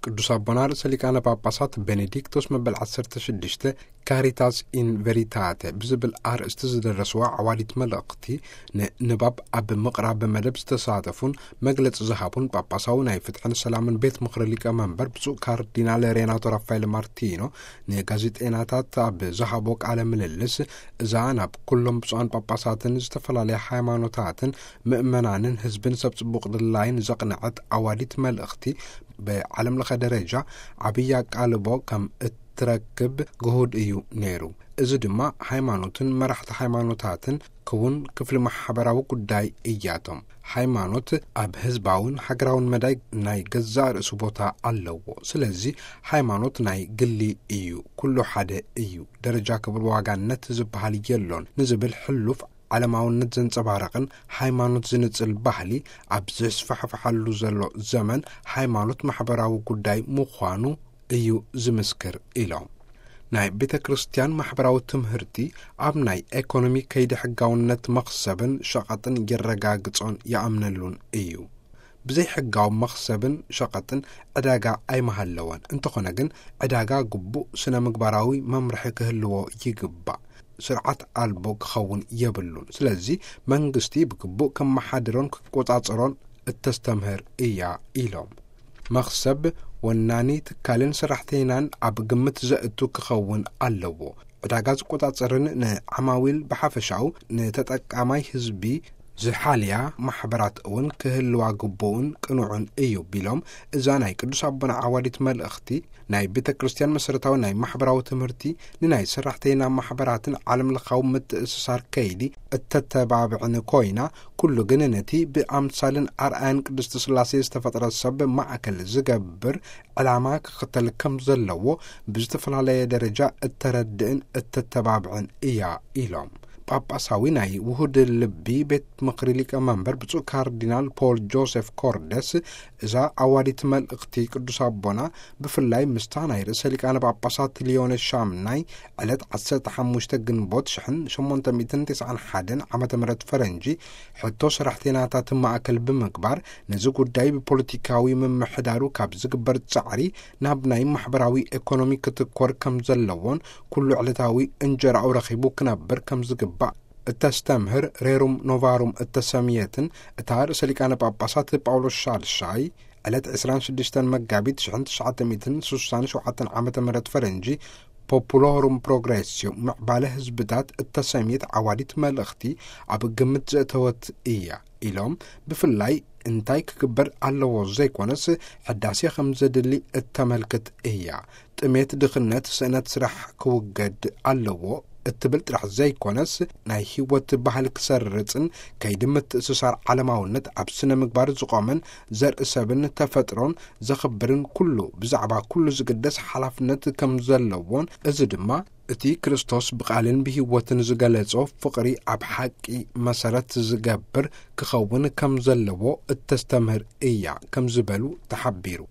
ቅዱስ ኣቦና ርእሰ ሊቃነ ጳጳሳት ቤኔዲክቶስ መበል ዓሰርተ ሽዱሽተ ካሪታስ ኢን ቨሪታተ ብዝብል ኣርእስቲ ዝደረስዋ ዓዋዲት መልእኽቲ ንንባብ ኣብ ምቕራብ መደብ ዝተሳተፉን መግለጺ ዝሃቡን ጳጳሳዊ ናይ ፍትሕን ሰላምን ቤት ምኽሪ ሊቀ መንበር ብፁዕ ካርዲናል ሬናቶ ራፋኤል ማርቲኖ ንጋዜጠይናታት ኣብ ዝሃቦ ቃለ ምልልስ፣ እዛ ናብ ኩሎም ብፁዓን ጳጳሳትን ዝተፈላለያ ሃይማኖታትን ምእመናንን ህዝብን ሰብ ጽቡቕ ድላይን ዘቕነዐት ዓዋዲት መልእኽቲ ብዓለም ለኸ ደረጃ ዓብዪ ኣቃልቦ ከም እትረክብ ግሁድ እዩ ነይሩ። እዚ ድማ ሃይማኖትን መራሕቲ ሃይማኖታትን ክውን ክፍሊ ማሕበራዊ ጉዳይ እያቶም። ሃይማኖት ኣብ ህዝባውን ሃገራውን መዳይ ናይ ገዛእ ርእሱ ቦታ ኣለዎ። ስለዚ ሃይማኖት ናይ ግሊ እዩ፣ ኩሉ ሓደ እዩ። ደረጃ ክብሪ ዋጋነት ዝበሃል የሎን ንዝብል ሕሉፍ ዓለማውነት ዘንጸባርቕን ሃይማኖት ዝንጽል ባህሊ ኣብ ዘስፋሕፍሓሉ ዘሎ ዘመን፣ ሃይማኖት ማሕበራዊ ጉዳይ ምዃኑ እዩ ዝምስክር ኢሎም። ናይ ቤተ ክርስቲያን ማሕበራዊ ትምህርቲ ኣብ ናይ ኤኮኖሚ ከይዲ ሕጋውነት መኽሰብን ሸቐጥን የረጋግጾን ይኣምነሉን እዩ። ብዘይ ሕጋዊ መኽሰብን ሸቐጥን ዕዳጋ ኣይመሃለወን። እንተኾነ ግን ዕዳጋ ግቡእ ስነ ምግባራዊ መምርሒ ክህልዎ ይግባእ። ስርዓት ኣልቦ ክኸውን የብሉን። ስለዚ መንግስቲ ብግቡእ ከመሓድሮን ክቆጻጸሮን እተስተምህር እያ ኢሎም። መኽሰብ ወናኒ ትካልን ሰራሕተይናን ኣብ ግምት ዘእቱ ክኸውን ኣለዎ። ዕዳጋ ዝቆጻጸርን ንዓማዊል ብሓፈሻኡ ንተጠቃማይ ህዝቢ ዝሓልያ ማሕበራት እውን ክህልዋ ግቡእን ቅኑዕን እዩ ቢሎም፣ እዛ ናይ ቅዱስ ኣቦና ዓዋዲት መልእኽቲ ናይ ቤተ ክርስቲያን መሰረታዊ ናይ ማሕበራዊ ትምህርቲ ንናይ ሰራሕተይና ማሕበራትን ዓለም ለኻዊ ምትእስሳር ከይዲ እተተባብዕን ኮይና፣ ኩሉ ግን ነቲ ብኣምሳልን ኣርኣያን ቅድስቲ ስላሴ ዝተፈጥረ ሰብ ማእከል ዝገብር ዕላማ ክኽተል ከም ዘለዎ ብዝተፈላለየ ደረጃ እተረድእን እተተባብዕን እያ ኢሎም። ጳጳሳዊ ናይ ውሁድ ልቢ ቤት ምኽሪ ሊቀ መንበር ብፁዕ ካርዲናል ፖል ጆሴፍ ኮርደስ፣ እዛ ኣዋዲት መልእኽቲ ቅዱስ ኣቦና ብፍላይ ምስታ ናይ ርእሰ ሊቃነ ጳጳሳት ሊዮን ሻምናይ ዕለት ዓሰርተ ሓሙሽተ ግንቦት ሽሕን ሸሞንተ ሚእትን ተስዓን ሓደን ዓመተ ምህረት ፈረንጂ ሕቶ ሰራሕተይናታት ማእከል ብምግባር፣ ነዚ ጉዳይ ብፖለቲካዊ ምምሕዳሩ ካብ ዝግበር ጻዕሪ ናብ ናይ ማሕበራዊ ኤኮኖሚ ክትኮር ከም ዘለዎን፣ ኩሉ ዕለታዊ እንጀራኡ ረኺቡ ክነብር ከም ዝግባእ እተስተምህር ሬሩም ኖቫሩም እተሰምየትን እታ ርእሰ ሊቃነ ጳጳሳት ጳውሎስ ሻድሻይ ዕለት ዕስራን ሽዱሽተን መጋቢት ሽሕን ትሽዓተ ሚእትን ስሳን ሸውዓተን ዓመተ ምህረት ፈረንጂ ፖፑሎሩም ፕሮግሬስዮ ምዕባለ ህዝብታት እተሰምየት ዓዋዲት መልእኽቲ ኣብ ግምት ዘእተወት እያ ኢሎም፣ ብፍላይ እንታይ ክግበር ኣለዎ ዘይኮነስ ሕዳሴ ከም ዘድሊ እተመልክት እያ። ጥሜት፣ ድኽነት፣ ስእነት ስራሕ ክውገድ ኣለዎ እትብል ጥራሕ ዘይኮነስ፣ ናይ ህይወት ባህል ክሰርጽን ከይዲ ምትእስሳር ዓለማውነት ኣብ ስነ ምግባር ዝቖመን ዘርኢ ሰብን ተፈጥሮን ዘኽብርን ኩሉ ብዛዕባ ኩሉ ዝግደስ ሓላፍነት ከም ዘለዎን፣ እዚ ድማ እቲ ክርስቶስ ብቓልን ብህይወትን ዝገለጾ ፍቕሪ ኣብ ሓቂ መሰረት ዝገብር ክኸውን ከም ዘለዎ እተስተምህር እያ ከም ዝበሉ ተሓቢሩ።